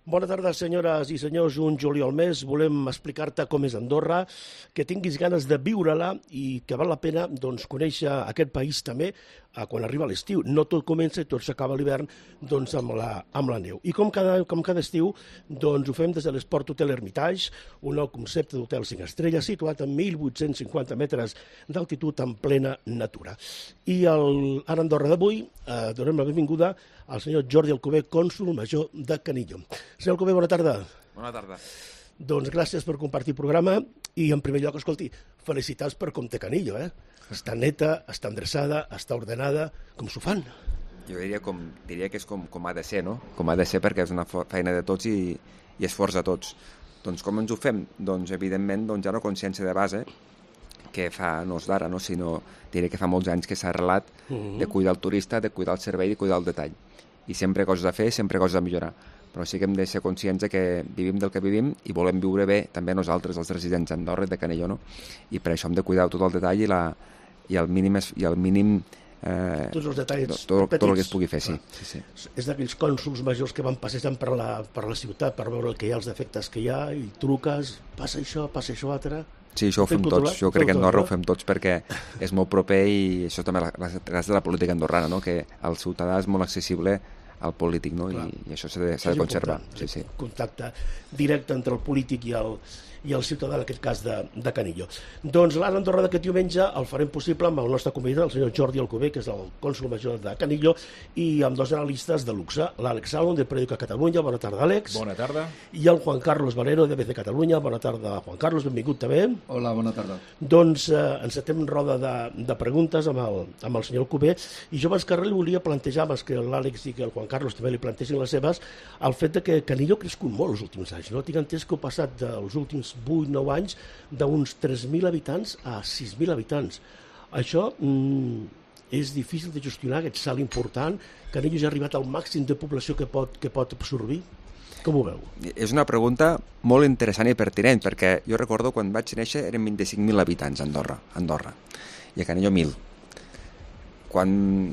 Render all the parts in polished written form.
Bona tarda, senyores i senyors. Un juliol més volem explicar-te com és Andorra, que tinguis ganes de viure-la i que val la pena conèixer aquest país també quan arriba l'estiu. No tot comença i tot s'acaba a l'hivern amb la neu. I com cada estiu ho fem des de l'Esport Hotel Hermitage, un nou concepte d'hotel 5 estrelles situat a 1.850 metres d'altitud en plena natura. I a Andorra d'avui donem la benvinguda al senyor Jordi Alcover, cònsol major de Canillo. Senyor Alcover, bona tarda. Bona tarda. Doncs gràcies per compartir el programa i, en primer lloc, escolti, felicitats per com té Canillo, Està neta, està endreçada, està ordenada, com s'ho fan? Jo diria que és com ha de ser, no? Com ha de ser perquè és una feina de tots i esforç de tots. Doncs com ens ho fem? Doncs evidentment hi ha una consciència de base que no és d'ara, no? Sinó diré que fa molts anys que s'ha arrelat de cuidar el turista, de cuidar el servei, de cuidar el detall. I sempre coses a fer, sempre coses a millorar. Però sí que hem de ser conscients que vivim del que vivim i volem viure bé també nosaltres, els residents d'Andorra i de Canillo, no? I per això hem de cuidar tot el detall i el mínim tots els detalls tot el que es pugui fer, sí. És d'aquells cònsols majors que van passejant per la ciutat per veure el que hi ha, els defectes que hi ha, i truques, passa això altre... Sí, això ho fem tots. Jo crec que a Andorra ho fem tots perquè és molt proper i això també és gràcies a la política andorrana, no? Que el ciutadà és molt accessible al polític, no? I això s'ha de conservar. Sí. Contacte directe entre el polític i el ciutadà, en aquest cas de Canillo. Doncs l'Ara Andorra d'aquest diumenge el farem possible amb el nostre convidat, el senyor Jordi Alcover, que és el cònsol major de Canillo, i amb dos analistes de luxe, l'Àlex Salon, de Periódico Catalunya. Bona tarda, Àlex. Bona tarda. I el Juan Carlos Valero, de ABC Catalunya. Bona tarda, Juan Carlos, benvingut també. Hola, bona tarda. Doncs encetem roda de preguntes amb el senyor Alcover, i jo abans que res li volia plantejar, abans que l'Àlex i que el Juan Carlos també li plantegin les seves, el fet de que Canillo ha crescut molt els últims anys, no? Tinc entès que heu passat dels últims 8-9 anys d'uns 3.000 habitants a 6.000 habitants. Això és difícil de gestionar, aquest salt important. Canillo ja ha arribat al màxim de població que pot absorbir. Com ho veu? És una pregunta molt interessant i pertinent, perquè jo recordo quan vaig néixer eren 25.000 habitants a Andorra, i a Canillo 1.000. Quan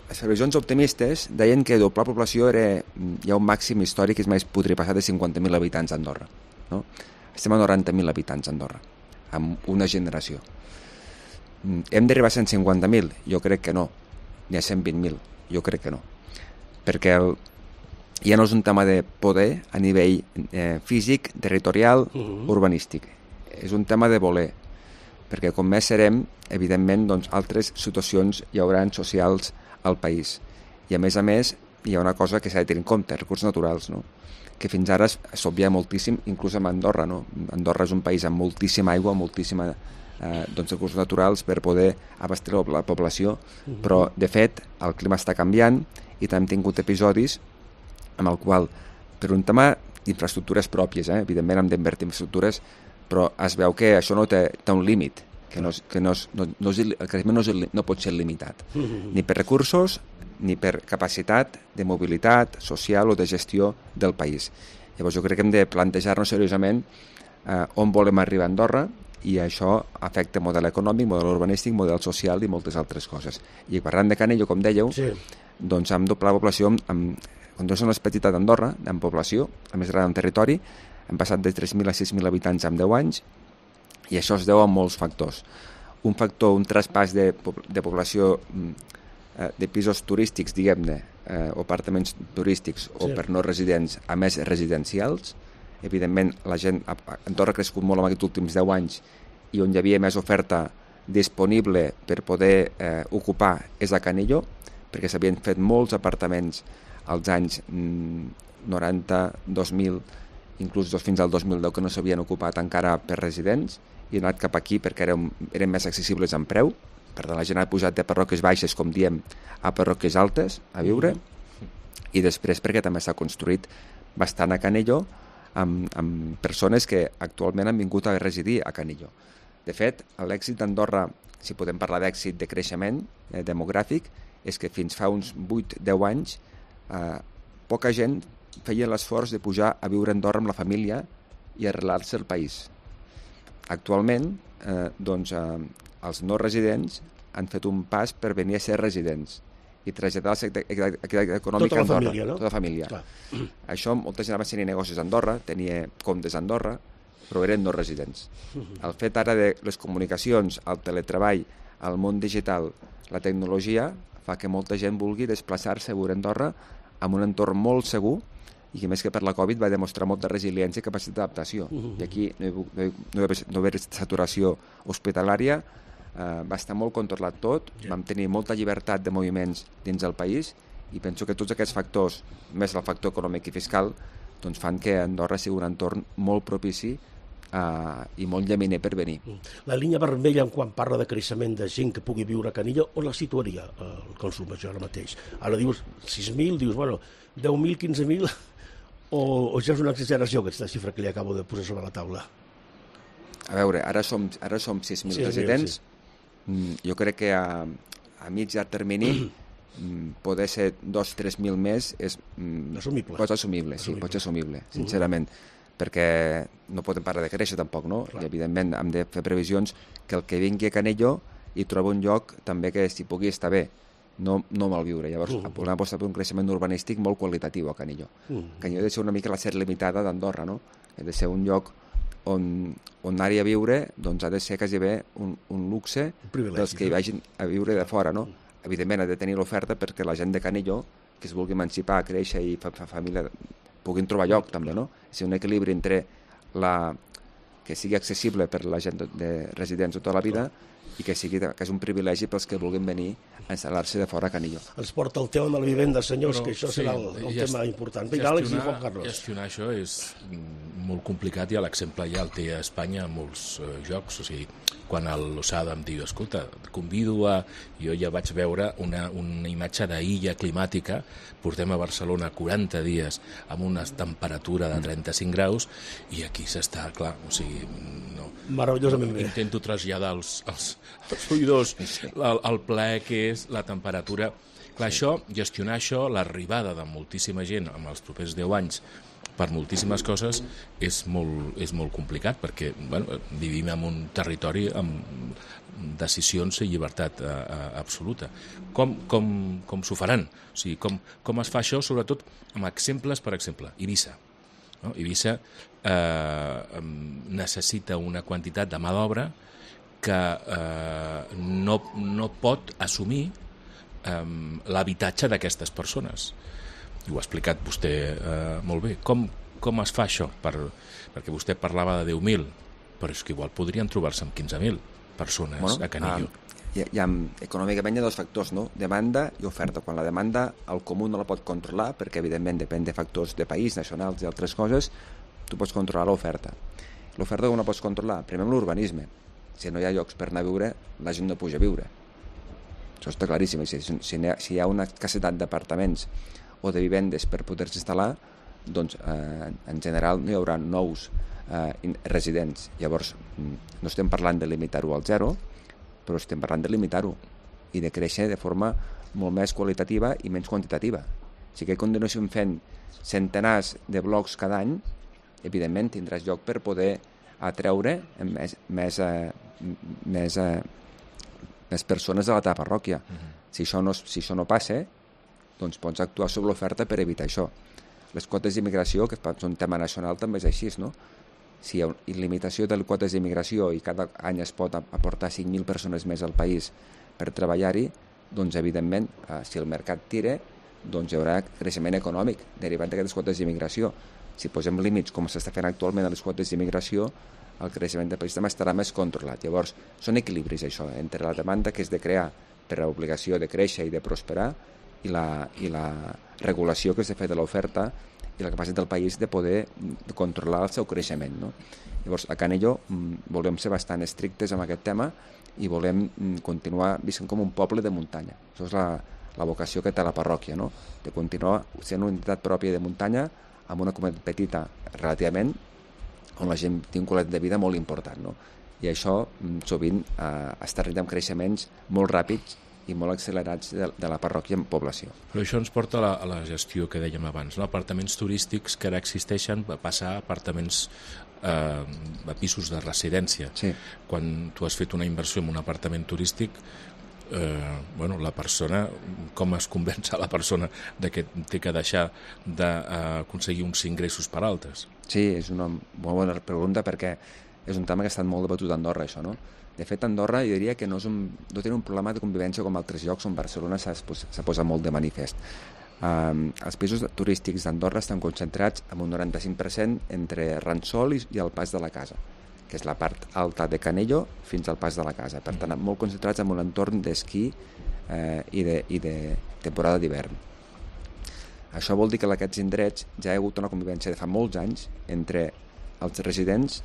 les previsions optimistes deien que doblar població hi ha un màxim històric que és més podria passar de 50.000 habitants a Andorra, no? Estem a 90.000 habitants a Andorra, amb una generació. Hem d'arribar a 150.000? Jo crec que no. Ni a 120.000? Jo crec que no. Perquè ja no és un tema de poder a nivell físic, territorial, urbanístic. És un tema de voler. Perquè com més serem, evidentment, altres situacions hi haurà socials al país. I a més, hi ha una cosa que s'ha de tenir en compte, recursos naturals, no? Que fins ara s'obvia moltíssim, inclús amb Andorra, no? Andorra és un país amb moltíssima aigua, moltíssima recursos naturals per poder abastir la població, però de fet el clima està canviant i també hem tingut episodis amb el qual, per un tema d'infraestructures pròpies, evidentment hem d'invertir en infraestructures, però es veu que això no té un límit, el creixement no pot ser limitat, ni per recursos ni per capacitat de mobilitat social o de gestió del país. Llavors jo crec que hem de plantejar-nos seriosament on volem arribar a Andorra, i això afecta model econòmic, model urbanístic, model social i moltes altres coses. I parlant de Canillo, com dèieu, doncs hem doblat la població, quan som més petita d'Andorra, en població, a més gran en territori, hem passat de 3.000 a 6.000 habitants en 10 anys, i això es deu a molts factors. Un traspàs de població de pisos turístics, diguem-ne, o apartaments turístics o per no residents a més residencials. Evidentment, la gent a Andorra ha crescut molt en aquests últims 10 anys i on hi havia més oferta disponible per poder ocupar és a Canillo, perquè s'havien fet molts apartaments als anys 90, 2000, inclús fins al 2010 que no s'havien ocupat encara per residents, i han anat cap aquí perquè eren més accessibles en preu. Per tant, la gent ha pujat de parròquies baixes, com diem, a parròquies altes a viure, i després perquè també s'ha construït bastant a Canillo amb persones que actualment han vingut a residir a Canillo. De fet, l'èxit d'Andorra, si podem parlar d'èxit de creixement demogràfic, és que fins fa uns 8-10 anys poca gent feia l'esforç de pujar a viure a Andorra amb la família i arrelar-se al país. Actualment, els no residents han fet un pas per venir a ser residents i traslladar l'activitat econòmica a Andorra. Família, no? Tota la família. Clar. Això, molta gent abans tenia negocis a Andorra, tenia comptes a Andorra, però eren no residents. El fet ara de les comunicacions, el teletreball, el món digital, la tecnologia, fa que molta gent vulgui desplaçar-se a viure a Andorra amb un entorn molt segur i que més que per la Covid va demostrar molta resiliència i capacitat d'adaptació. I aquí no hi va haver saturació hospitalària, va estar molt controlat tot, vam tenir molta llibertat de moviments dins del país i penso que tots aquests factors, més el factor econòmic i fiscal, doncs fan que Andorra sigui un entorn molt propici i molt llaminer per venir. La línia vermella, quan parla de creixement de gent que pugui viure a Canillo, on la situaria el consum major ara mateix? Ara dius 6.000, dius, bueno, 10.000, 15.000, o ja és una exageració aquesta xifra que li acabo de posar sobre la taula? A veure, ara som 6.000 residents. Sí. Jo crec que a mitjà termini poder ser 2.000-3.000 més és assumible, sincerament, perquè no podem parar de créixer tampoc, no? I evidentment hem de fer previsions que el que vingui a Canillo hi trobi un lloc també que s'hi pugui estar bé, no malviure. Llavors volem apostar per un creixement urbanístic molt qualitatiu a Canillo. Canillo ha de ser una mica la ser limitada d'Andorra, no? Ha de ser un lloc on anar-hi a viure doncs ha de ser quasi bé un luxe dels que hi vagin a viure de fora, no? Evidentment ha de tenir l'oferta perquè la gent de Canillo que es vulgui emancipar, créixer i fa família puguin trobar lloc també, no? És un equilibri entre que sigui accessible per la gent de residents tota la vida i que és un privilegi pels que vulguin venir a instal·lar-se de fora a Canillo. Ens porta el tema de la vivenda, senyors, que això serà el tema important. Vinga, Àlex i Juan Carlos. Gestionar això és molt complicat i l'exemple ja el té a Espanya en molts jocs. O sigui, quan l'Osada em diu, escolta, et convido a... Jo ja vaig veure una imatge d'illa climàtica, portem a Barcelona 40 dies amb una temperatura de 35 graus i aquí s'està, clar, o sigui... Meravellosament bé. Intento traslladar als oïdors el plaer que és la temperatura. Clar, gestionar això, l'arribada de moltíssima gent en els propers 10 anys per moltíssimes coses és molt complicat perquè vivim en un territori amb decisions i llibertat absoluta. Com s'ho faran? O sigui, com es fa això, sobretot amb exemples, per exemple, Eivissa. No? Eivissa necessita una quantitat de mà d'obra que no pot assumir l'habitatge d'aquestes persones. I ho ha explicat vostè molt bé. Com es fa això? Perquè vostè parlava de 10.000, però és que igual podrien trobar-se amb 15.000 persones a Canillo. Econòmicament hi ha dos factors, no? Demanda i oferta. Quan la demanda el comú no la pot controlar, perquè evidentment depèn de factors de país, nacionals i altres coses, tu pots controlar l'oferta. L'oferta com la pots controlar? Primer amb l'urbanisme. Si no hi ha llocs per anar a viure, la gent no puja a viure. Això està claríssim. Si hi ha una escassetat d'apartaments o de vivendes per poder-se instal·lar, doncs en general no hi haurà nous residents. Llavors, no estem parlant de limitar-ho al zero, però estem parlant de limitar-ho i de créixer de forma molt més qualitativa i menys quantitativa. Si que continuéssim fent centenars de blocs cada any, evidentment tindràs lloc per poder atreure més persones a la teva parròquia. Si això no passa, doncs pots actuar sobre l'oferta per evitar això. Les quotes d'immigració, que és un tema nacional, també és així, no? Si hi ha limitació de les quotes d'immigració i cada any es pot aportar 5.000 persones més al país per treballar-hi, doncs evidentment, si el mercat tira, doncs hi haurà creixement econòmic derivat d'aquestes quotes d'immigració. Si posem límits, com s'està fent actualment a les quotes d'immigració, el creixement del país també estarà més controlat. Llavors, són equilibris, això, entre la demanda que és de crear per l'obligació de créixer i de prosperar i la regulació que s'ha fet de l'oferta i la capacitat del país de poder controlar el seu creixement, no? Llavors, a Canillo volem ser bastant estrictes amb aquest tema i volem continuar visquent com un poble de muntanya. Això és la vocació que té la parròquia, no? De continuar sent una entitat pròpia de muntanya amb una comunitat petita relativament, on la gent té un qualitat de vida molt important, no? I això sovint està rit amb creixements molt ràpids i molt accelerats de la parròquia en població. Però això ens porta a la gestió que dèiem abans, no? Apartaments turístics que ara existeixen a passar a apartaments a pisos de residència. Sí. Quan tu has fet una inversió en un apartament turístic, la persona, com es convenç a la persona de que té que deixar d'aconseguir uns ingressos per altres? Sí, és una molt bona pregunta perquè és un tema que ha estat molt debatut a Andorra, això, no? De fet, Andorra jo diria que no té un problema de convivència com altres llocs on Barcelona s'ha posat molt de manifest. Els pisos turístics d'Andorra estan concentrats amb un 95% entre Ransol i el Pas de la Casa, que és la part alta de Canello fins al Pas de la Casa. Per tant, molt concentrats en un entorn d'esquí i de temporada d'hivern. Això vol dir que en aquests indrets ja hi ha hagut una convivència de fa molts anys entre els residents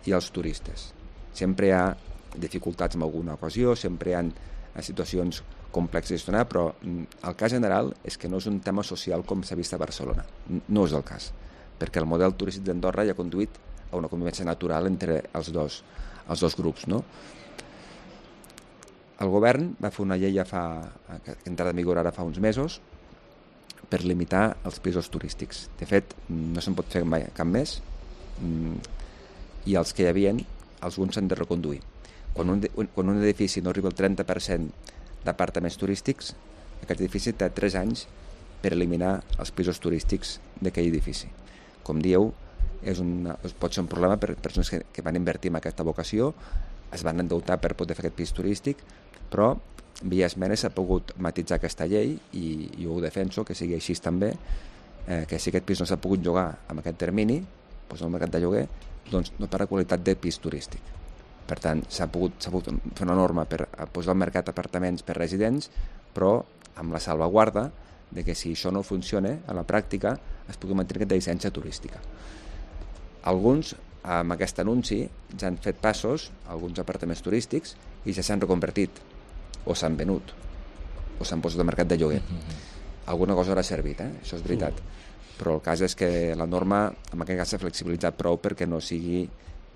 i els turistes. Sempre hi ha dificultats en alguna ocasió, sempre hi ha situacions complexes de gestionar, però el cas general és que no és un tema social com s'ha vist a Barcelona. No és el cas, perquè el model turístic d'Andorra ja ha conduït a una convivència natural entre els dos grups, no? El govern va fer una llei que ha entrat en vigor ara fa uns mesos per limitar els pisos turístics. De fet, no se'n pot fer mai cap més, i els que hi havia, alguns s'han de reconduir. Quan un edifici no arriba al 30% d'apartaments turístics, aquest edifici té 3 anys per eliminar els pisos turístics d'aquell edifici. Com dieu, pot ser un problema per persones que van invertir en aquesta vocació, es van endeutar per poder fer aquest pis turístic, però via esmenes s'ha pogut matitzar aquesta llei i jo ho defenso, que sigui així també, que si aquest pis no s'ha pogut llogar en aquest termini, doncs el mercat de lloguer, doncs no per la qualitat de pis turístic. Per tant, s'ha pogut fer una norma per posar al mercat apartaments per residents, però amb la salvaguarda de que si això no funciona a la pràctica es pugui mantenir aquesta llicència turística. Alguns, amb aquest anunci, ja han fet passos, alguns apartaments turístics, i ja s'han reconvertit, o s'han venut, o s'han posat al mercat de lloguer. Alguna cosa haurà servit, això és veritat. Però el cas és que la norma, en aquest cas, s'ha flexibilitzat prou perquè no sigui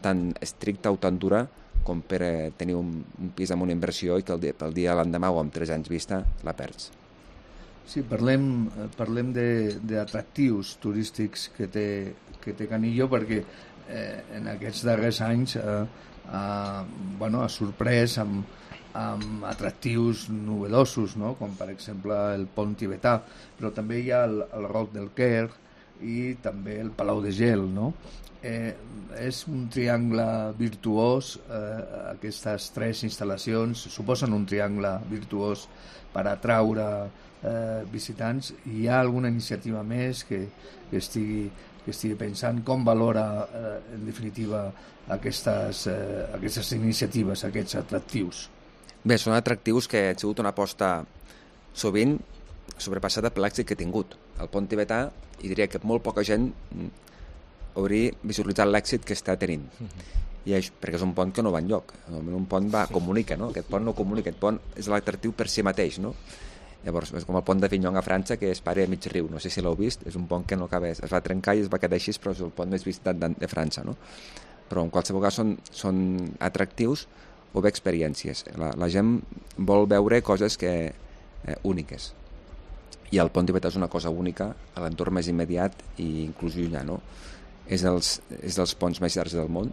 tan estricta o tan dura com per tenir un pis amb una inversió i que pel dia l'endemà o amb 3 anys vista la perds. Sí, parlem d'atractius turístics que té Canillo, perquè en aquests darrers anys ha sorprès amb atractius novedosos, no? Com per exemple el pont tibetà, però també hi ha el Roc del Quer i també el Palau de Gel, no? És un triangle virtuós, aquestes 3 instal·lacions suposen un triangle virtuós per atraure visitants. Hi ha alguna iniciativa més que estigui pensant? Com valora en definitiva aquestes iniciatives, aquests atractius? Bé, són atractius que han sigut una aposta sovint sobrepassada per l'èxit que ha tingut. El pont tibetà, i diria que molt poca gent hauria visualitzat l'èxit que està tenint. Perquè és un pont que no va enlloc. Normalment un pont comunica, no? Aquest pont no comunica, aquest pont és l'atractiu per si mateix, no? Llavors, és com el pont d'Avignon a França, que es para a mig riu, no sé si l'heu vist, és un pont que no acaba, es va trencar i es va quedar així, però és el pont més visitat de França, no? Però en qualsevol cas són atractius o bé experiències. La gent vol veure coses úniques. I el pont tibetà és una cosa única a l'entorn més immediat i inclús llunyà, no? És dels ponts més llargs del món,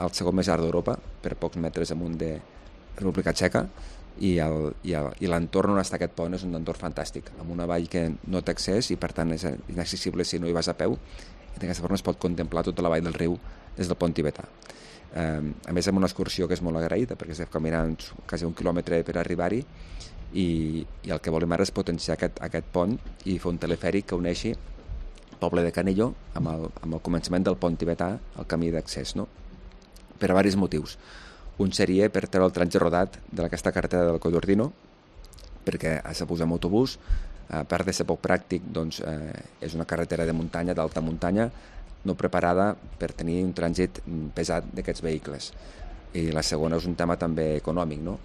el segon més llarg d'Europa, per pocs metres amunt de República Txeca, i l'entorn on està aquest pont és un entorn fantàstic, amb una vall que no té accés i per tant és inaccessible si no hi vas a peu, i d'aquesta forma es pot contemplar tota la vall del riu des del pont tibetà. A més, amb una excursió que és molt agraïda, perquè estem caminant quasi 1 quilòmetre per arribar-hi, i el que volem ara és potenciar aquest pont i fer un telefèric que uneixi el poble de Canillo amb el començament del pont tibetà, el camí d'accés, no? Per a diversos motius. Un seria per treure el tranje rodat d'aquesta carretera del Collordino, perquè s'ha posat en autobús, a part de ser poc pràctic, doncs, és una carretera de muntanya, d'alta muntanya, no preparada per tenir un trànsit pesat d'aquests vehicles. I la segona és un tema també econòmic, no?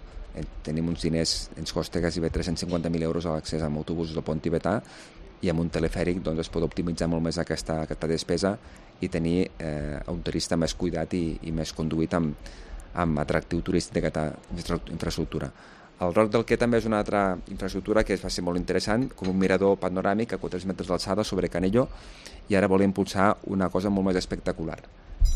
Tenim uns diners, ens costa gairebé 350.000 euros a l'accés amb autobusos del pont tibetà, i amb un telefèric doncs, es pot optimitzar molt més aquesta despesa i tenir un turista més cuidat i més conduït amb atractiu turístic d'aquesta infraestructura. El Roc del Quer també és una altra infraestructura que va ser molt interessant, com un mirador panoràmic a 4 metres d'alçada sobre Canillo, i ara volem impulsar una cosa molt més espectacular.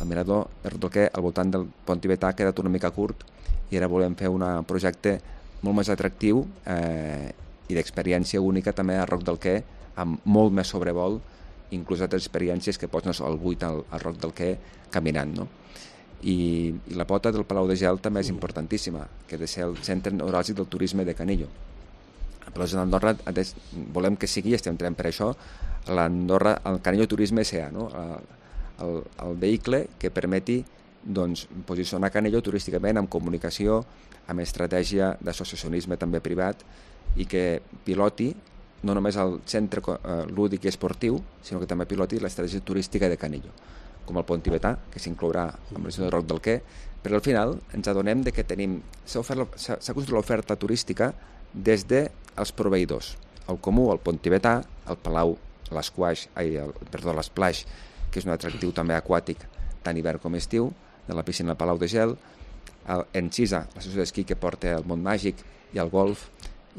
El mirador del Quer al voltant del pont tibetà ha quedat una mica curt i ara volem fer un projecte molt més atractiu i d'experiència única també a Roc del Quer, amb molt més sobrevol, inclús altres experiències que pots anar al buit al Roc del Quer caminant, no? I la pota del Palau de Gel també és importantíssima, que ha de ser el centre neuràlgic del turisme de Canillo. A Palau d'Andorra volem que sigui, estem treballant per això, el Canillo Turisme S.A., no? El vehicle que permeti doncs, posicionar Canillo turísticament amb comunicació, amb estratègia d'associacionisme també privat i que piloti no només el centre lúdic i esportiu, sinó que també piloti l'estratègia turística de Canillo, com el pont tibetà, que s'inclourà amb la ciutat de Roc del Quer, però al final ens adonem de que s'ha construït l'oferta turística des dels proveïdors, el Comú, el pont tibetà, el Palau, l'Esplaix, que és un atractiu també aquàtic tant hivern com estiu, de la piscina del Palau de Gel, Encisa, l'associació d'esquí que porta el món màgic i el golf,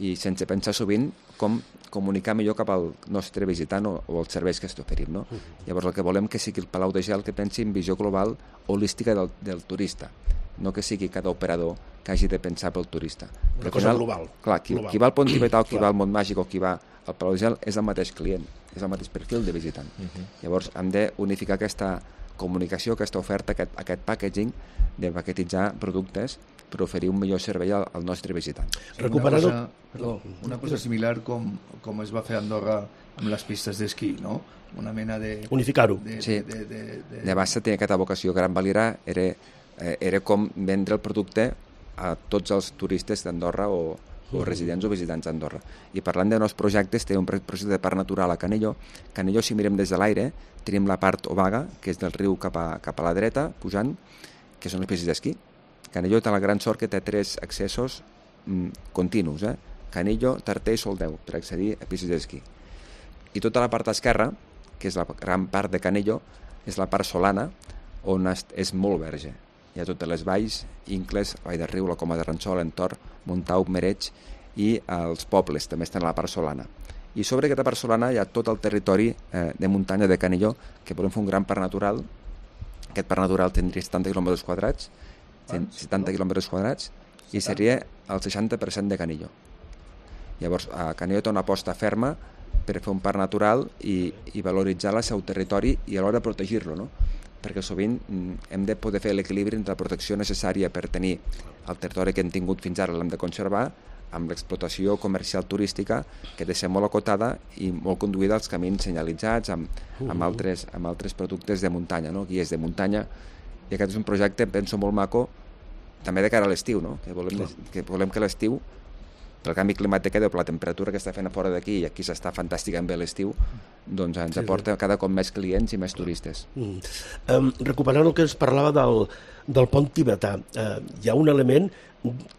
i sense pensar sovint com comunicar millor cap al nostre visitant o els serveis que t'oferim, no? Llavors el que volem que sigui el Palau de Gel que pensi en visió global holística del turista, no que sigui cada operador que hagi de pensar pel turista. Una cosa global. Clar, qui va al pont tibetà o qui va al món màgic o qui va al Palau de Gel és el mateix client, és el mateix perfil de visitant. Llavors hem d'unificar aquesta comunicació, aquesta oferta, aquest packaging de paquetitzar productes per oferir un millor servei al nostre visitant. Una cosa similar com es va fer a Andorra amb les pistes d'esquí, no? Una mena de... Unificar-ho. Sí, de base tenia aquesta vocació. Gran Valira era com vendre el producte a tots els turistes d'Andorra o residents o visitants d'Andorra. I parlant de nous projectes, té un projecte de parc natural a Canillo. Canillo, si mirem des de l'aire, tenim la part obaga, que és del riu cap a la dreta, pujant, que són les pistes d'esquí. Canillo té la gran sort que té 3 accessos continus, Canillo, Tarter i Soldeu, per accedir a pistes d'esquí. I tota la part esquerra, que és la gran part de Canillo, és la part solana, on és molt verge. Hi ha totes les valls, Incles, Vall de Riu, la Coma de Ransol, Entorn, Montau, Mereig i els pobles també estan a la part solana. I sobre aquesta part solana hi ha tot el territori de muntanya de Canillo, que volem fer un gran parc natural. Aquest parc natural tindria 70 quilòmetres quadrats, i seria el 60% de Canillo. Llavors, a Canillo té una aposta ferma per fer un parc natural i valoritzar el seu territori i alhora protegir-lo, no? Perquè sovint hem de poder fer l'equilibri entre la protecció necessària per tenir el territori que hem tingut fins ara, l'hem de conservar, amb l'explotació comercial turística, que ha de ser molt acotada i molt conduïda als camins senyalitzats, amb altres productes de muntanya, no? Guies de muntanya. I aquest és un projecte, penso, molt maco, també de cara a l'estiu, no? Que volem que l'estiu, pel canvi climàtic o per la temperatura que està fent a fora d'aquí, i aquí s'està fantàsticament bé l'estiu, doncs ens aporta cada cop més clients i més turistes. Recuperant el que ens parlava del pont tibetà, hi ha un element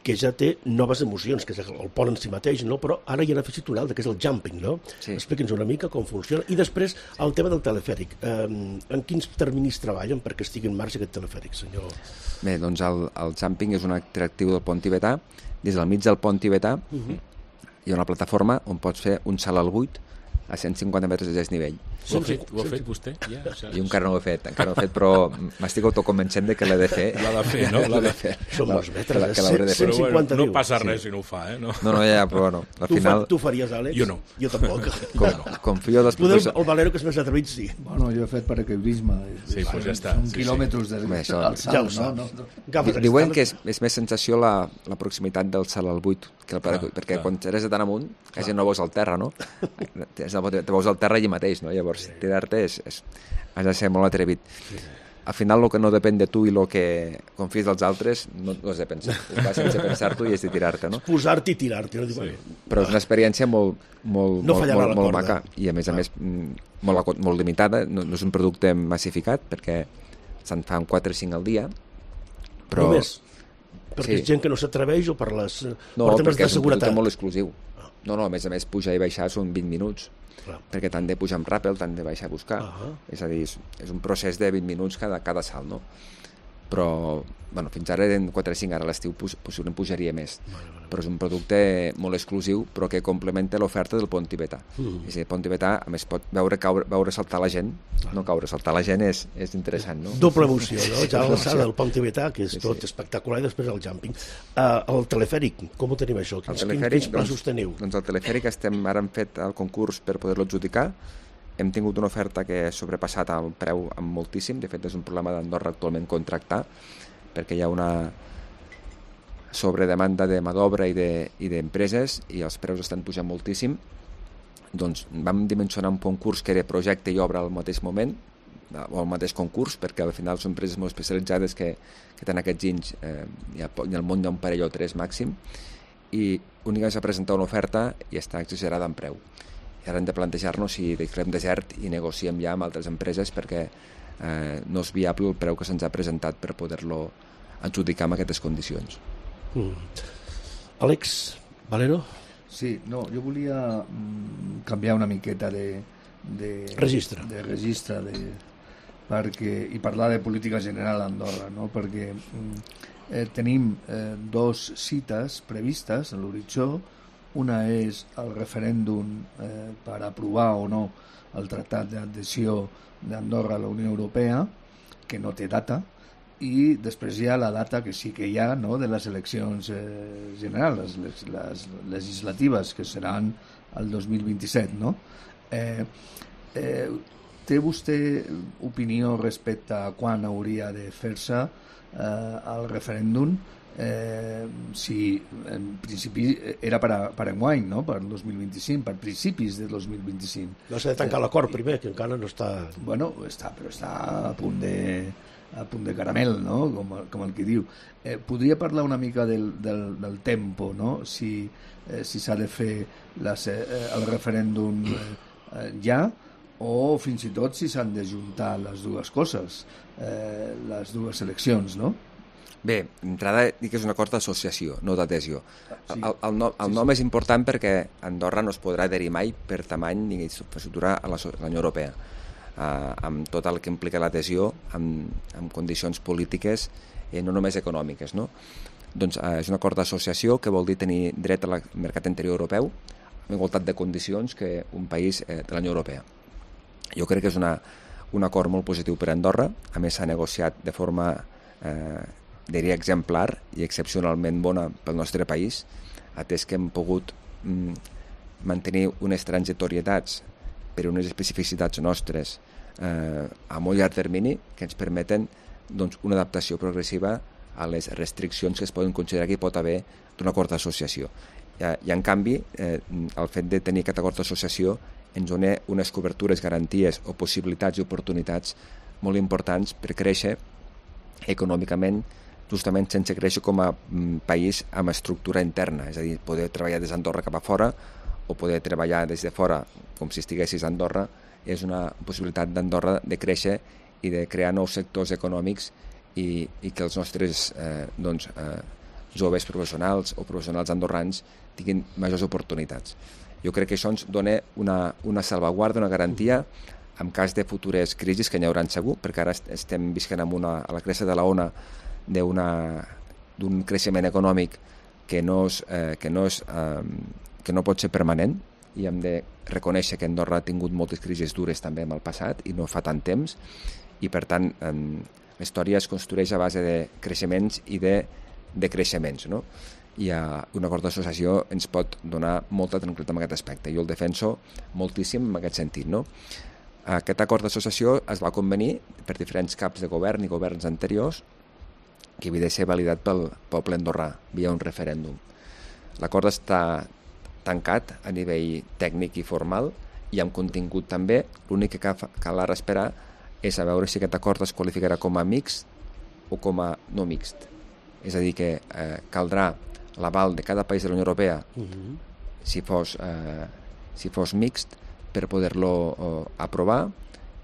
que ja té noves emocions, que és el pont en si mateix, no? Però ara hi ha afegit un altre, que és el jumping, no? Sí. Explica'ns una mica com funciona. I després el tema del telefèric. En quins terminis treballen perquè estigui en marxa aquest telefèric, senyor? Bé, doncs el jumping és un atractiu del pont tibetà. Des del mig del pont tibetà hi ha una plataforma on pots fer un salt al buit a 150 metres de desnivell. Ho ha fet vostè? Jo encara no ho he fet, però m'estic autoconvencent de que l'he de fer. L'ha de fer, no? L'ha de fer. Són molts metres, 150 no passa res si no ho fa, eh? No, ja, però bueno, al final... Tu faries, Àlex? Jo no. Jo tampoc. Confio dels... El Valero, que és més atrevit, sí. Bueno, jo he fet paracaidisme. Sí, doncs ja està. Són quilòmetres del salt, no? Diuen que és més sensació la proximitat del salt al buit, perquè quan eres de tan amunt quasi no veus el terra, no? Te veus el terra allà mateix, no? Llavors, tirar-te has de ser molt atrevit. Al final, el que no depèn de tu i el que confies dels altres no has de pensar. Vas sense pensar-t'ho i has de tirar-te, no? Posar-te i tirar-te. Però és una experiència molt maca i, a més, molt limitada. No és un producte massificat perquè se'n fan 4 o 5 al dia. Només? Perquè és gent que no s'atreveix o per temes de seguretat? No, perquè és un producte molt exclusiu. No, a més, pujar i baixar són 20 minuts. Perquè tant de pujar amb ràpel, tant de baixar a buscar. És a dir, és un procés de 20 minuts cada salt, no? però fins ara eren 4 o 5, ara a l'estiu possiblement pujaria més. Però és un producte molt exclusiu, però que complementa l'oferta del pont tibetà. És a dir, el pont tibetà, a més, pot veure saltar la gent. No caure, saltar la gent és interessant, no? Doble emoció, no? Ja l'alçada del pont tibetà, que és tot espectacular, i després el jumping. El telefèric, com ho tenim això? Quins plaços teniu? Doncs el telefèric ara hem fet el concurs per poder-lo adjudicar. Hem tingut una oferta que ha sobrepassat el preu amb moltíssim. De fet, és un problema d'Andorra actualment contractar, perquè hi ha una sobredemanda de mà d'obra i d'empreses i els preus estan pujant moltíssim. Doncs vam dimensionar un concurs que era projecte i obra al mateix moment, o al mateix concurs, perquè al final són empreses molt especialitzades que tenen aquests anys, i al món hi ha un parell o 3 màxim, i únicament s'ha presentat una oferta i està exagerada en preu. I ara hem de plantejar-nos si declarem desert i negociem ja amb altres empreses, perquè no és viable el preu que se'ns ha presentat per poder-lo adjudicar amb aquestes condicions. Àlex Valero? Sí, no, jo volia canviar una miqueta de registre, i parlar de política general a Andorra, no? Perquè tenim 2 cites previstes a l'horitzó. Una és el referèndum per aprovar o no el tractat d'adhesió d'Andorra a la Unió Europea, que no té data, i després hi ha la data que sí que hi ha, no?, de les eleccions generals, les legislatives, que seran el 2027, no? Té vostè opinió respecte a quan hauria de fer-se el referèndum? Si en principi era per enguany, no?, per el 2025, per principis de 2025. No s'ha de tancar l'acord primer, que encara no està... Bueno, però està a punt de caramel, no?, com el que diu. Podria parlar una mica del tempo, no?, si s'ha de fer el referèndum ja, o fins i tot si s'han de juntar les dues coses, les dues eleccions, no? Bé, d'entrada dic que és un acord d'associació, no d'adhesió. El nom és important perquè Andorra no es podrà adherir mai per tamany ni infraestructura a la Unió Europea, amb tot el que implica l'adhesió, amb condicions polítiques, no només econòmiques, no? Doncs és un acord d'associació que vol dir tenir dret al mercat interior europeu amb igualtat de condicions que un país de la Unió Europea. Jo crec que és un acord molt positiu per a Andorra. A més, s'ha negociat de forma diria exemplar i excepcionalment bona pel nostre país, atès que hem pogut mantenir unes transitorietats per unes especificitats nostres a molt llarg termini que ens permeten una adaptació progressiva a les restriccions que es poden considerar que hi pot haver d'un acord d'associació. I en canvi, el fet de tenir aquest acord d'associació ens dona unes cobertures, garanties o possibilitats i oportunitats molt importants per créixer econòmicament, justament sense créixer com a país amb estructura interna, és a dir, poder treballar des d'Andorra cap a fora o poder treballar des de fora com si estiguessis a Andorra és una possibilitat d'Andorra de créixer i de crear nous sectors econòmics i que els nostres joves professionals o professionals andorrans tinguin majors oportunitats. Jo crec que això ens dona una salvaguarda, una garantia en cas de futures crisis, que n'hi haurà segur, perquè ara estem visquent a la cresta de la ona d'un creixement econòmic que no pot ser permanent, i hem de reconèixer que Andorra ha tingut moltes crisis dures també en el passat i no fa tant temps, i per tant la història es construeix a base de creixements i de decreixements, no? I un acord d'associació ens pot donar molta tranquil·litat en aquest aspecte. Jo el defenso moltíssim en aquest sentit, no? Aquest acord d'associació es va convenir per diferents caps de govern i governs anteriors que havia de ser validat pel poble andorrà via un referèndum. L'acord està tancat a nivell tècnic i formal i amb contingut també. L'únic que cal ara esperar és a veure si aquest acord es qualificarà com a mixt o com a no mixt. És a dir, que caldrà l'aval de cada país de la Unió Europea si fos mixt per poder-lo aprovar,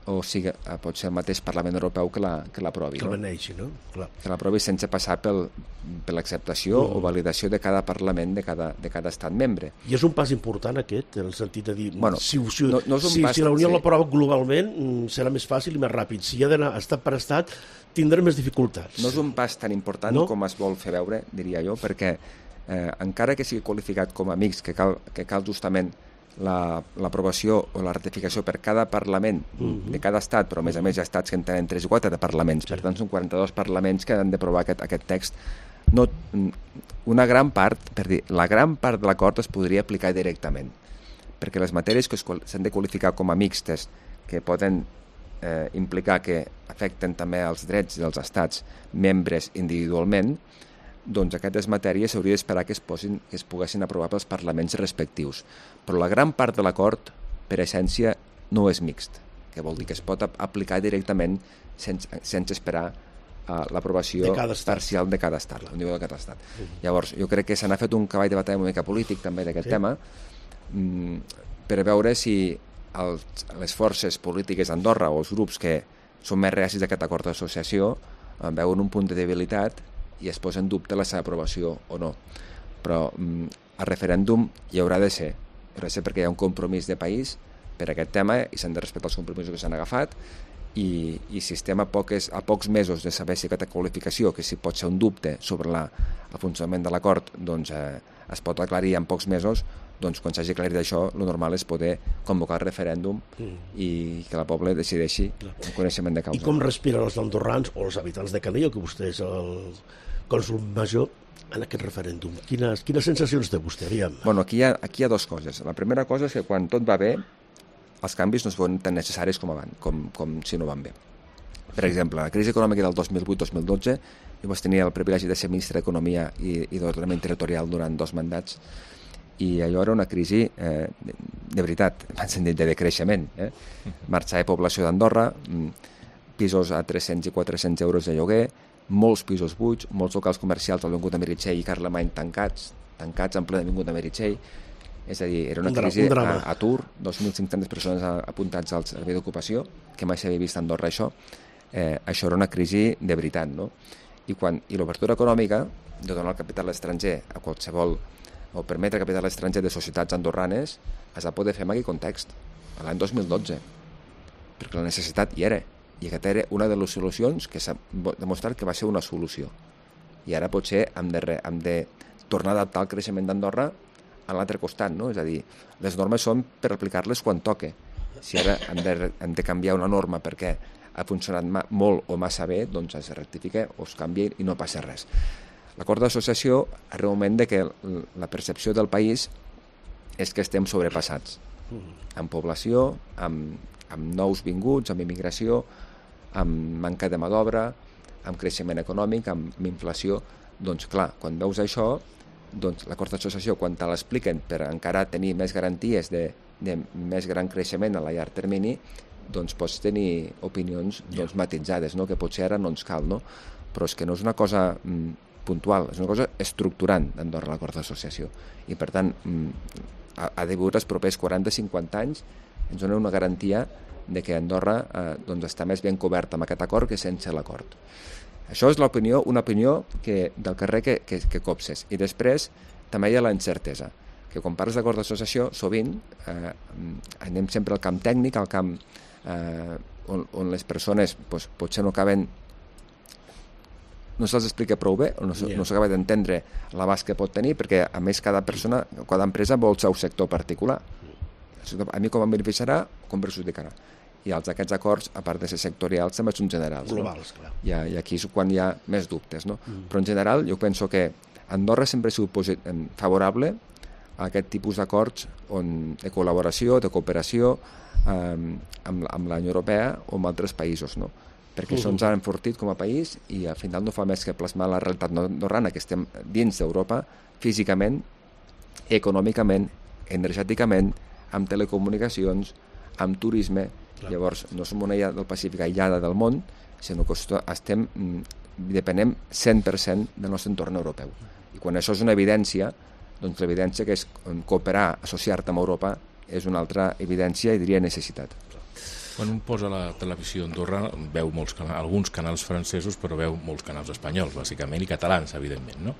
o sigui, pot ser el mateix Parlament Europeu que l'aprovi. Que el beneixi, no? Clar. Que l'aprovi sense passar per l'acceptació o validació de cada Parlament de cada estat membre. I és un pas important aquest, en el sentit de dir, Bueno, si la Unió l'aprova globalment, serà més fàcil i més ràpid. Si ha d'anar estat per estat, tindrem més dificultats. No és un pas tan important com es vol fer veure, diria jo, perquè encara que sigui qualificat com a mixt, que cal justament l'aprovació o la ratificació per cada Parlament de cada estat, però a més hi ha estats que en tenen 3 o 4 de parlaments, per tant són 42 parlaments que han d'aprovar aquest text. La gran part de l'acord es podria aplicar directament, perquè les matèries que s'han de qualificar com a mixtes, que poden implicar que afecten també els drets dels estats membres individualment, doncs aquestes matèries s'hauria d'esperar que es poguessin aprovar pels parlaments respectius. Però la gran part de l'acord, per essència, no és mixt, que vol dir que es pot aplicar directament sense esperar l'aprovació parcial de cada estat, a nivell de cada estat. Llavors, jo crec que se n'ha fet un cavall de batalla una mica polític també d'aquest tema, per veure si les forces polítiques d'Andorra o els grups que són més reacis d'aquest acord d'associació veuen un punt de debilitat i es posa en dubte la seva aprovació o no. Però el referèndum hi haurà de ser perquè hi ha un compromís de país per aquest tema i s'han de respectar els compromisos que s'han agafat i si estem a pocs mesos de saber si aquesta qualificació, que si pot ser un dubte sobre el funcionament de l'acord, doncs es pot aclarir en pocs mesos, doncs quan s'hagi aclarit això, el normal és poder convocar el referèndum i que el poble decideixi el coneixement de causa. I com respiren els andorrans o els habitants de Canillo, que vostè és el cònsol major, en aquest referèndum? Quines sensacions té vostè? Bueno, aquí hi ha dues coses. La primera cosa és que quan tot va bé, els canvis no es veuen tan necessaris com si no van bé. Per exemple, la crisi econòmica del 2008-2012, jo vaig tenir el privilegi de ser ministre d'Economia i d'Ordenament Territorial durant 2 mandats, i allò era una crisi de veritat, en sentit de decreixement. Marxar de població d'Andorra, pisos a 300 i 400 euros de lloguer, molts pisos buits, molts locals comercials a l'Avinguda Meritxell i Carlemany tancats en plena Avinguda Meritxell. És a dir, era una crisi a atur, 2.500 persones apuntats al servei d'ocupació, que mai s'havia vist a Andorra això. Això era una crisi de veritat, no? I l'obertura econòmica de donar el capital estranger a qualsevol, o permetre capital estranger de societats andorranes, es va poder fer en aquell context, l'any 2012, perquè la necessitat hi era. I aquesta era una de les solucions que s'ha demostrat que va ser una solució. I ara potser hem de tornar a adaptar el creixement d'Andorra a l'altre costat, no? És a dir, les normes són per aplicar-les quan toque. Si ara hem de canviar una norma perquè ha funcionat molt o massa bé, doncs es rectifica o es canvia i no passa res. L'acord d'associació arriba un moment que la percepció del país és que estem sobrepassats. Amb població, amb nous vinguts, amb immigració, amb manca de mà d'obra, amb creixement econòmic, amb inflació. Doncs clar, quan veus això, doncs l'acord d'associació, quan te l'expliquen per encara tenir més garanties de més gran creixement a la llarg termini, doncs pots tenir opinions matitzades, no? Que potser ara no ens cal, no? Però és que no és una cosa puntual, és una cosa estructurant d'Andorra l'acord d'associació. I per tant, a degut als propers 40-50 anys ens dona una garantia de que Andorra està més ben coberta amb aquest acord que sense l'acord. Això és una opinió del carrer que copses. I després també hi ha la incertesa, que quan parles d'acord d'associació, sovint anem sempre al camp tècnic, al camp on les persones potser no acaben, no se'ls explica prou bé, o no s'acaba d'entendre l'abast que pot tenir, perquè a més cada empresa vol el seu sector particular. A mi com em beneficiarà, com perjudicarà. I aquests acords, a part de ser sectorials, també són generals. Globals, clar. I aquí és quan hi ha més dubtes, no? Però en general jo penso que Andorra sempre ha sigut favorable a aquest tipus d'acords de col·laboració, de cooperació amb la Unió Europea o amb altres països, no? Perquè això ens ha enfortit com a país i al final no fa més que plasmar la realitat andorrana, que estem dins d'Europa físicament, econòmicament, energèticament, amb telecomunicacions, amb turisme. Llavors no som una illa del Pacífic aïllada del món, sinó que depenem 100% del nostre entorn europeu. I quan això és una evidència, doncs l'evidència que és cooperar, associar-te amb Europa, és una altra evidència i diria necessitat. Quan un posa la televisió a Andorra veu alguns canals francesos, però veu molts canals espanyols, bàsicament, i catalans, evidentment, no?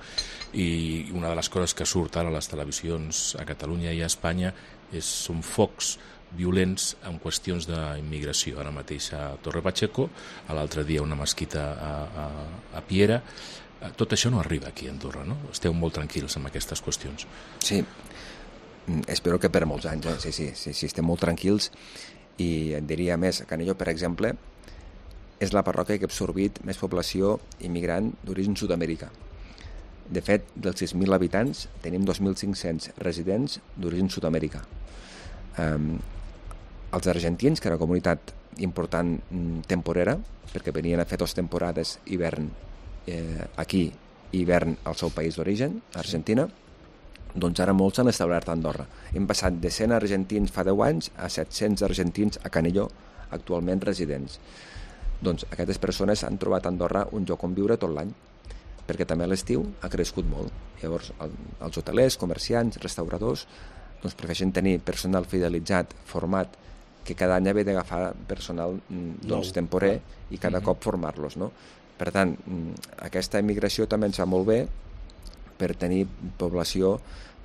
I una de les coses que surt ara a les televisions a Catalunya i a Espanya són focs violents en qüestions d'immigració. Ara mateix a Torre Pacheco, l'altre dia una mesquita a Piera. Tot això no arriba aquí a Andorra, no? Esteu molt tranquils amb aquestes qüestions. Sí, espero que per molts anys, sí, estem molt tranquils, i et diria més, Canillo, per exemple, és la parròquia que ha absorbit més població immigrant d'origen sud-americà. De fet, dels 6.000 habitants, tenim 2.500 residents d'origen sud-americà. Els argentins, que era una comunitat important temporera, perquè venien a fer 2 temporades hivern aquí i hivern al seu país d'origen, Argentina, doncs ara molts s'han establert a Andorra. Hem passat de 100 argentins fa 10 anys a 700 argentins a Canillo, actualment residents. Doncs aquestes persones han trobat a Andorra un lloc on viure tot l'any, perquè també a l'estiu ha crescut molt. Llavors, els hotelers, comerciants, restauradors, doncs prefereixen tenir personal fidelitzat, format, que cada any havia d'agafar personal temporer i cada cop formar-los, no? Per tant, aquesta immigració també ens va molt bé per tenir població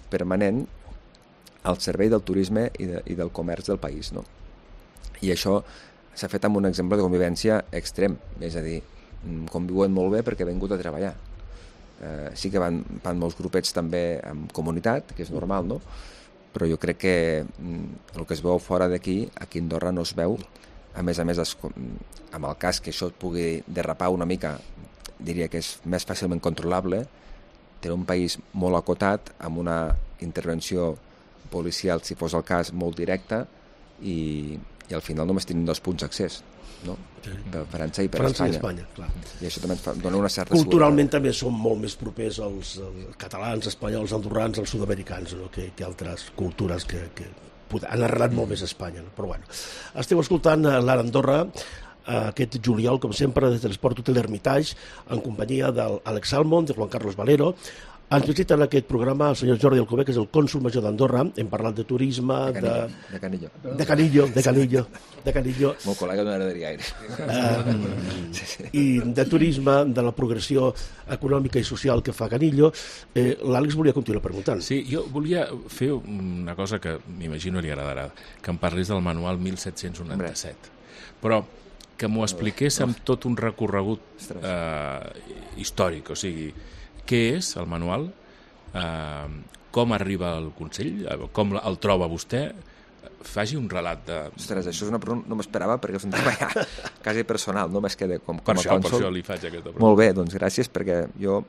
permanent al servei del turisme i del comerç del país, no? I això s'ha fet amb un exemple de convivència extrem, és a dir, conviuen molt bé perquè han vingut a treballar. Sí que van molts grupets també en comunitat, que és normal, no? Però jo crec que el que es veu fora d'aquí, aquí a Andorra no es veu. A més, amb el cas que això pugui derrapar una mica, diria que és més fàcilment controlable. Té un país molt acotat, amb una intervenció policial, si fos el cas, molt directa, i al final només tenim 2 punts d'accés, no? Per França i per Espanya. I Espanya, clar. I això també dona una certa Culturalment també som molt més propers als catalans, espanyols, andorrans, als sud-americans, no? que altres cultures que han arrelat molt més a Espanya. No? Però bueno, esteu escoltant l'Ara Andorra aquest juliol, com sempre, des de l'Esport Hotel Hermitage, en companyia d'Àlex Salmond, de Juan Carlos Valero. Ens visita en aquest programa el senyor Jordi Alcover, que és el cònsol major d'Andorra. Hem parlat de turisme, de Canillo. De Canillo. Meu col·lega no era de Riaire. I de turisme, de la progressió econòmica i social que fa Canillo. L'Àlex volia continuar preguntant. Sí, jo volia fer una cosa que m'imagino li agradarà, que em parlis del manual 1797. Però que m'ho expliqués amb tot un recorregut històric, o sigui, què és el manual, com arriba al Consell, com el troba vostè, faci un relat de... Ostres, això és una pregunta, no m'esperava perquè és un tema ja quasi personal, no més que com per a cònsol. Per això li faig aquesta pregunta. Molt bé, doncs gràcies, perquè jo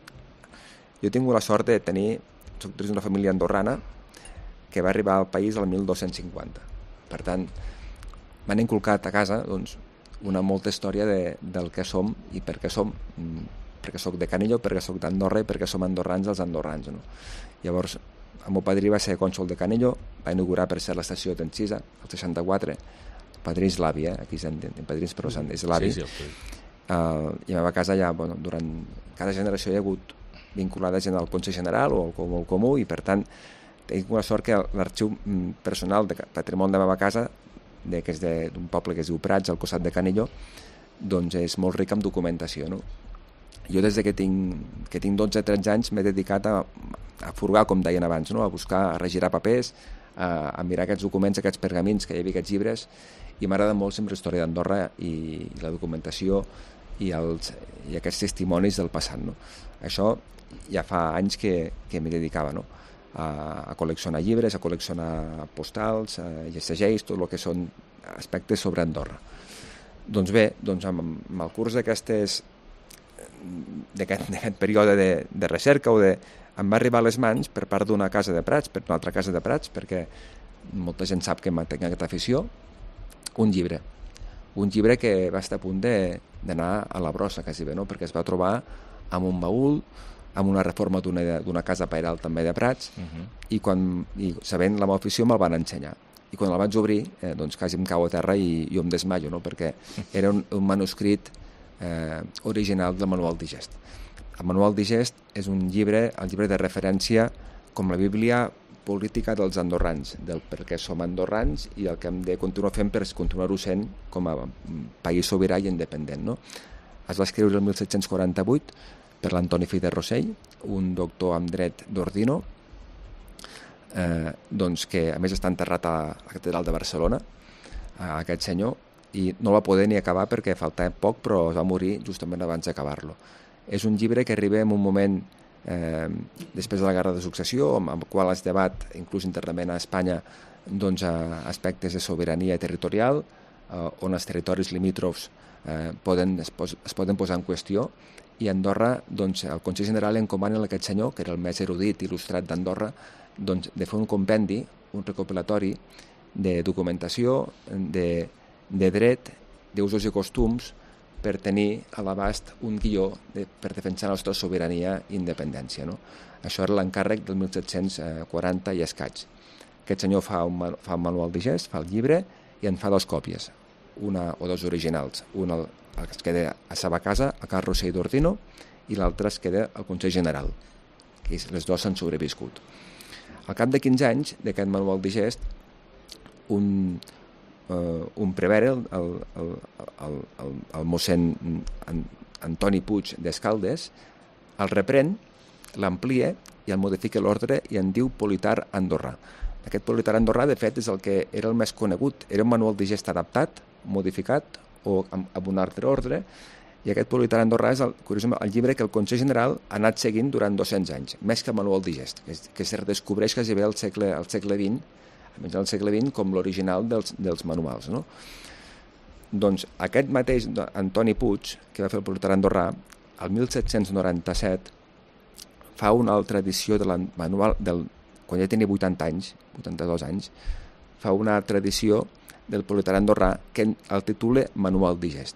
he tingut la sort de tenir, soc d'una família andorrana que va arribar al país el 1250. Per tant, m'han inculcat a casa doncs, una molta història del que som i per què som, perquè soc de Canillo, perquè soc d'Andorra i perquè som andorrans els andorrans. No? Llavors, el meu padrí va ser cònsol de Canillo, va inaugurar per ser l'estació d'Encisa, el 64, el padrí és l'avi, aquí s'han dit padrins, però és l'avi. Sí, I a la meva casa ja, durant cada generació hi ha hagut vinculada gent al Consell General o al Comú, i per tant tinc una sort que l'arxiu personal de patrimoni de la meva casa, que és d'un poble que es diu Prats, al costat de Canillo, doncs és molt ric en documentació, no? Jo des que tinc 12-13 anys m'he dedicat a furgar, com deien abans, no? A buscar, a regirar papers, a mirar aquests documents, aquests pergamins, que hi havia aquests llibres, i m'agrada molt sempre la història d'Andorra i la documentació i aquests testimonis del passat. No? Això ja fa anys que m'hi dedicava, no? A col·leccionar llibres, a col·leccionar postals, segells, tot el que són aspectes sobre Andorra. Doncs bé, amb el curs d'aquest període de recerca em va arribar a les mans per part d'una casa de Prats, per una altra casa de Prats, perquè molta gent sap que tinc aquesta afició, un llibre que va estar a punt d'anar a la brossa, quasi bé, no? Perquè es va trobar amb un baúl, amb una reforma d'una casa pairal també de Prats, i sabent la meva afició me'l van ensenyar. I quan el vaig obrir, doncs quasi em cau a terra i jo em desmaio, no? Perquè era un manuscrit original del Manual Digest. El Manual Digest és el llibre de referència com la Bíblia política dels andorrans, del per què som andorrans i el que hem de continuar fent per continuar-ho sent com a país sobirà i independent, no? Es va escriure el 1748 per l'Antoni Fi de Rossell, un doctor en dret d'Ordino, doncs que a més està enterrat a la catedral de Barcelona, aquest senyor, i no va poder ni acabar perquè faltava poc, però va morir justament abans d'acabar-lo. És un llibre que arriba en un moment després de la Guerra de Successió, amb el qual es debat, inclús internament a Espanya, doncs, aspectes de sobirania territorial, on els territoris limítrofs es poden posar en qüestió, i Andorra, doncs, el Consell General encomana a aquest senyor, que era el més erudit i il·lustrat d'Andorra, doncs, de fer un compendi, un recopilatori de documentació, de dret, d'usos i costums, per tenir a l'abast un guió per defensar la nostra sobirania i independència, no? Això era l'encàrrec del 1740 i escaig. Aquest senyor fa un manual de gest, fa el llibre i en fa 2 còpies, una o 2 originals. Una es queda a la seva casa, a Cal Rossell d'Ordino, i l'altra es queda al Consell General, que les 2 s'han sobreviscut. Al cap de 15 anys d'aquest manual de gest, un prevere, el mossèn Antoni Puig d'Escaldes, el reprèn, l'amplia i el modifica l'ordre i en diu Politar Andorrà. Aquest Politar Andorrà, de fet, és el que era el més conegut. Era un manual de gest adaptat, modificat o amb un altre ordre, i aquest Politar Andorrà és, curiosament, el llibre que el Consell General ha anat seguint durant 200 anys, més que el manual de gest, que es redescobreix quasi bé al segle XX, almenys al segle XX, com l'original dels manuals, no? Doncs aquest mateix Antoni Puig, que va fer el Politar Andorrà, el 1797 fa una altra edició del manual, quan ja tenia 80 anys, 82 anys, fa una altra edició del Politar Andorrà que el titula Manual de gest.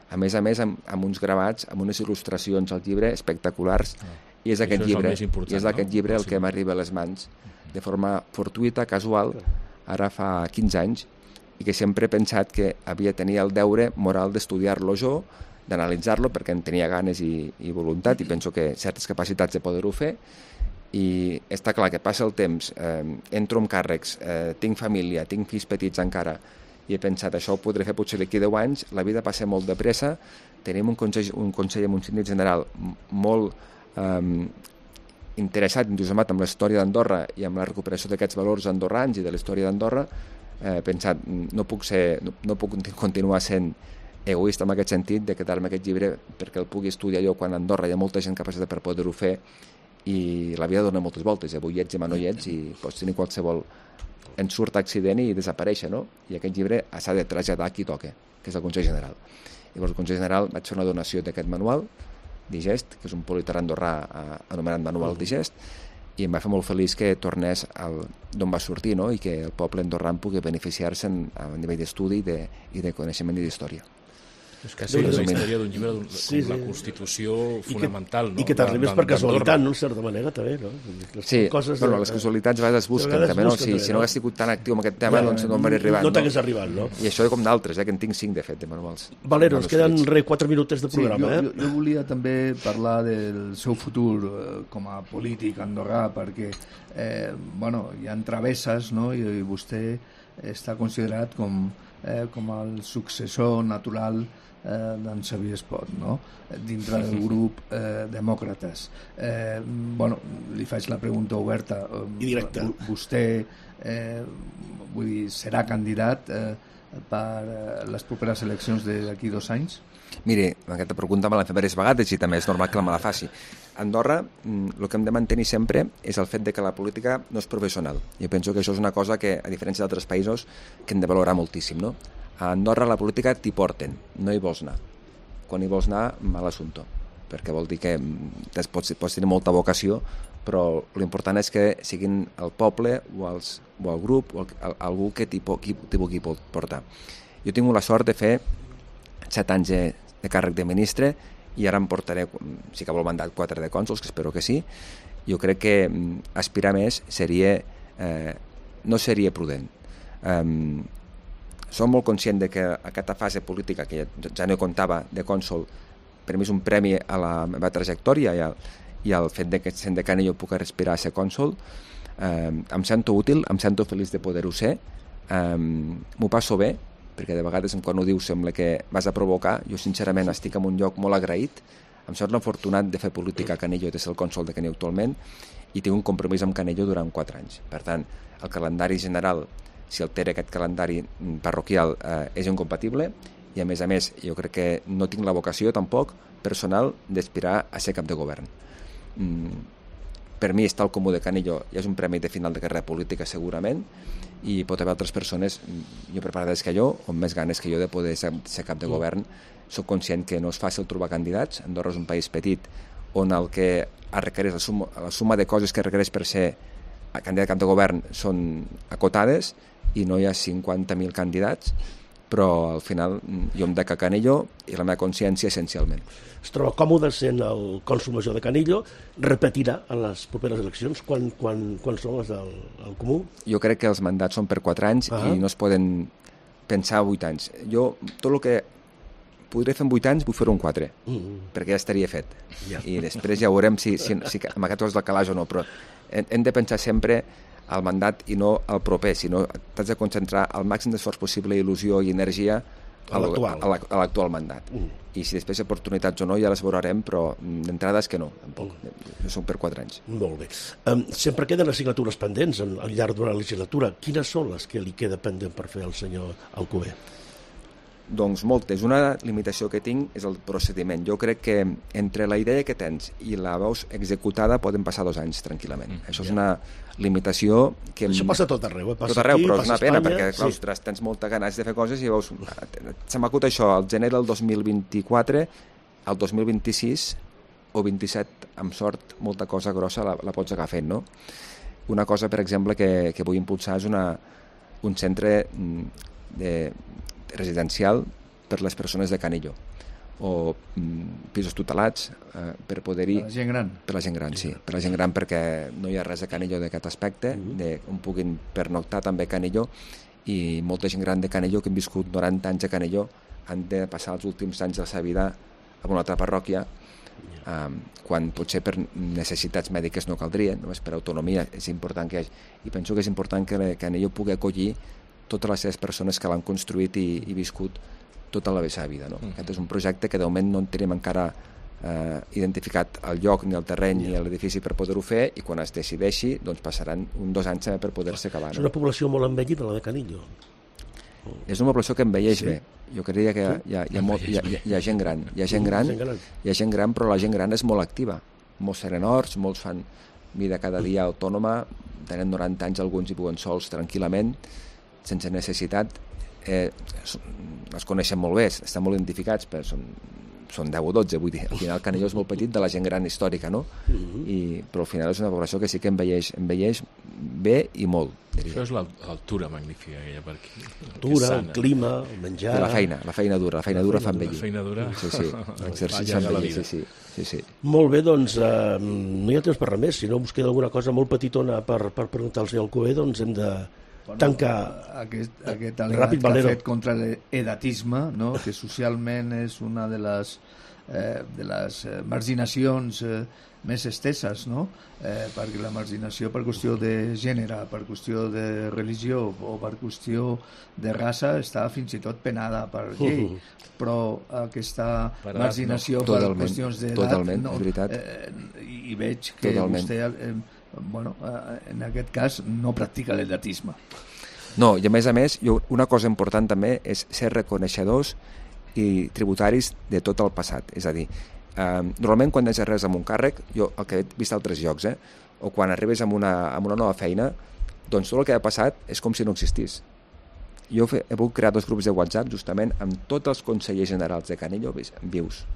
A més, amb uns gravats, amb unes il·lustracions al llibre espectaculars, i és aquest llibre el que m'arriba a les mans de forma fortuïta, casual, ara fa 15 anys, i que sempre he pensat que havia de tenir el deure moral d'estudiar-lo jo, d'analitzar-lo, perquè en tenia ganes i voluntat, i penso que certes capacitats de poder-ho fer, i està clar que passa el temps, entro amb càrrecs, tinc família, tinc fills petits encara, i he pensat, això ho podré fer potser d'aquí 10 anys, la vida passa molt de pressa, tenim un consell amb un síndic general molt interessat, entusiasmat amb la història d'Andorra i amb la recuperació d'aquests valors andorrans i de la història d'Andorra, he pensat, no puc continuar sent egoista en aquest sentit de quedar-me aquest llibre perquè el pugui estudiar jo quan a Andorra hi ha molta gent capacitat per poder-ho fer, i la vida dona moltes voltes, avui ets, demà no hi ets, i pots tenir qualsevol ensurt accident i desaparèixer, no? I aquest llibre s'ha de traslladar a qui toca, que és el Consell General. Llavors el Consell General vaig fer una donació d'aquest manual de gest, que és un Politar Andorrà anomenat Manual de gest, i em va fer molt feliç que tornés d'on va sortir, no? I que el poble andorrà pugui beneficiar-se a nivell d'estudi i de coneixement i d'història. És quasi la història d'un llibre com la Constitució fonamental. I que t'arribes per casualitat, no? En certa manera, també, no? Sí, però les casualitats a vegades es busquen, també, no? Si no hagués sigut tan actiu en aquest tema, doncs no m'hauria arribat. No t'hagués arribat, no? I això com d'altres, que en tinc 5, de fet, de manuals. Valero, ens queden 4 minutets de programa, eh? Jo volia també parlar del seu futur com a polític andorrà, perquè, hi ha travesses, no? I vostè està considerat com el successor natural d'en Xavier Espot, no? Dintre del grup Demòcrates. Li faig la pregunta oberta. I directa. Vostè serà candidat per les properes eleccions d'aquí 2 anys? Mire, aquesta pregunta me l'han fet diverses vegades i també és normal que me la faci. A Andorra, el que hem de mantenir sempre és el fet de que la política no és professional. Jo penso que això és una cosa que, a diferència d'altres països, que hem de valorar moltíssim, no? A Andorra la política t'hi porten, no hi vols anar. Quan hi vols anar, mal assumpte, perquè vol dir que pots tenir molta vocació, però l'important és que siguin el poble o el grup o algú que t'hi pugui portar. Jo he tingut la sort de fer 7 anys de càrrec de ministre i ara em portaré, si acabo el mandat, 4 de cònsols, que espero que sí. Jo crec que aspirar més no seria prudent. Som molt conscient de que aquesta fase política, que ja no comptava de cònsol, per mi és un premi a la meva trajectòria i al fet de que sent decana jo puc respirar a ser cònsol. Em sento útil, em sento feliç de poder-ho ser, m'ho passo bé, perquè de vegades quan ho dius sembla que vas a provocar. Jo sincerament estic en un lloc molt agraït, em sento afortunat de fer política a Canillo, de ser el cònsol de Canillo actualment, i tinc un compromís amb Canillo durant 4 anys. Per tant, el calendari general, si altera aquest calendari parroquial, és incompatible, i a més, jo crec que no tinc la vocació tampoc personal d'aspirar a ser cap de govern. Per mi estar al Comú de Canillo ja és un premi de final de carrera política segurament, i pot haver altres persones millor preparades que jo o amb més ganes que jo de poder ser cap de govern. Soc conscient que no és fàcil trobar candidats. Andorra és un país petit on el que requereix la suma de coses que requereix per ser candidat a cap de govern són acotades i no hi ha 50.000 candidats, però al final jo em dec a Canillo i la meva consciència essencialment. Es troba còmode sent el cònsol major de Canillo, repetirà en les properes eleccions? Quan són les del Comú? Jo crec que els mandats són per 4 anys i no es poden pensar 8 anys. Jo tot el que podré fer en 8 anys vull fer-ho en 4, perquè ja estaria fet. I després ja veurem si amb aquest cos del calaix o no, però hem de pensar sempre al mandat i no al proper, sinó t'has de concentrar el màxim d'esforç possible, il·lusió i energia a l'actual mandat. I si després hi ha oportunitats o no ja les veurem, però d'entrada és que no, tampoc. Són per 4 anys. Molt bé. Sempre queden assignatures pendents al llarg d'una legislatura. Quines són les que li queda pendent per fer el senyor Alcover? Doncs moltes. Una limitació que tinc és el procediment. Jo crec que entre la idea que tens i la veus executada poden passar 2 anys tranquil·lament. Això és una limitació que... Això passa tot arreu, passa tot arreu, però és una pena, perquè clar, ostres, tens molta ganes de fer coses i veus... Se m'acut això, al gener del 2024, al 2026 o 27, amb sort, molta cosa grossa la pots agafar fent, no? Una cosa, per exemple, que vull impulsar és un centre residencial per les persones de Canillo, o pisos tutelats per poder-hi... Per la gent gran? Per la gent gran, sí. Per la gent gran, perquè no hi ha res a Canillo d'aquest aspecte, on puguin pernoctar també a Canillo, i molta gent gran de Canillo que han viscut 90 anys a Canillo han de passar els últims anys de la seva vida a una altra parròquia, quan potser per necessitats mèdiques no caldria, només per autonomia és important que hi hagi. I penso que és important que Canillo pugui acollir totes les seves persones que l'han construït i viscut tota la seva vida. No? Aquest és un projecte que de moment no en tenim encara identificat el lloc, ni el terreny, ni l'edifici per poder-ho fer, i quan es decideixi doncs passaran 2 anys per poder-se acabar. És una població molt envellida, la de Canillo. És una població que envelleix bé. Jo creia que hi ha gent gran. Hi ha gent gran, però la gent gran és molt activa. Molts serenors, molts fan vida cada dia autònoma, tenen 90 anys, alguns hi viuen sols tranquil·lament, sense necessitat. Els coneixen molt bé, estan molt identificats, però són 10 o 12, vull dir, al final Canillo és molt petit de la gent gran històrica, no? Però al final és una població que sí que envelleix bé i molt, diria. Això és l'altura magnífica que hi ha per aquí. L'altura, el clima, el menjar... I la feina dura fa envellir. La feina dura? Sí, l'exercici fa envellir, sí. Molt bé, doncs no hi ha temps per res més, si no us queda alguna cosa molt petitona per preguntar al senyor Alcover, doncs hem de tancar aquest al·legat que ha fet contra l'edatisme, no? Que socialment és una de les marginacions més esteses, no? Perquè la marginació per qüestió de gènere, per qüestió de religió o per qüestió de raça està fins i tot penada per llei, però aquesta marginació per qüestions d'edat no, i veig que vostè en aquest cas no practica l'edatisme. No, i a més, una cosa important també és ser reconeixedors i tributaris de tot el passat. És a dir, normalment quan deixes res amb un càrrec, jo el que he vist a altres llocs, o quan arribes amb una nova feina, doncs tot el que ha passat és com si no existís. Jo he volgut crear 2 grups de WhatsApp justament amb tots els consellers generals de Canillo vius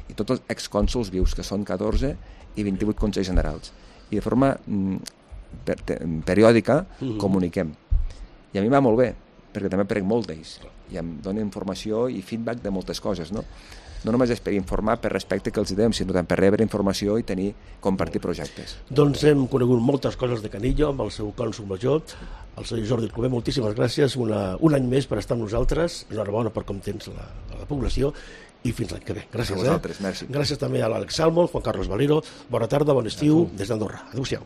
i tots els excònsols vius, que són 14 i 28 consellers generals. I de forma periòdica comuniquem. I a mi va molt bé, perquè també prenc molt d'ells i em dona informació i feedback de moltes coses, no? No només és per informar per respecte que els diem, sinó també per rebre informació i compartir projectes. Doncs hem conegut moltes coses de Canillo amb el seu cònsol major, el senyor Jordi Alcover. Moltíssimes gràcies un any més per estar amb nosaltres. Enhorabona per com tens la població i fins l'any que ve. Gràcies. A vosaltres, merci. Gràcies també a l'Àlex Salmon, Juan Carlos Valero. Bona tarda, bon estiu des d'Andorra. Adéu-siau.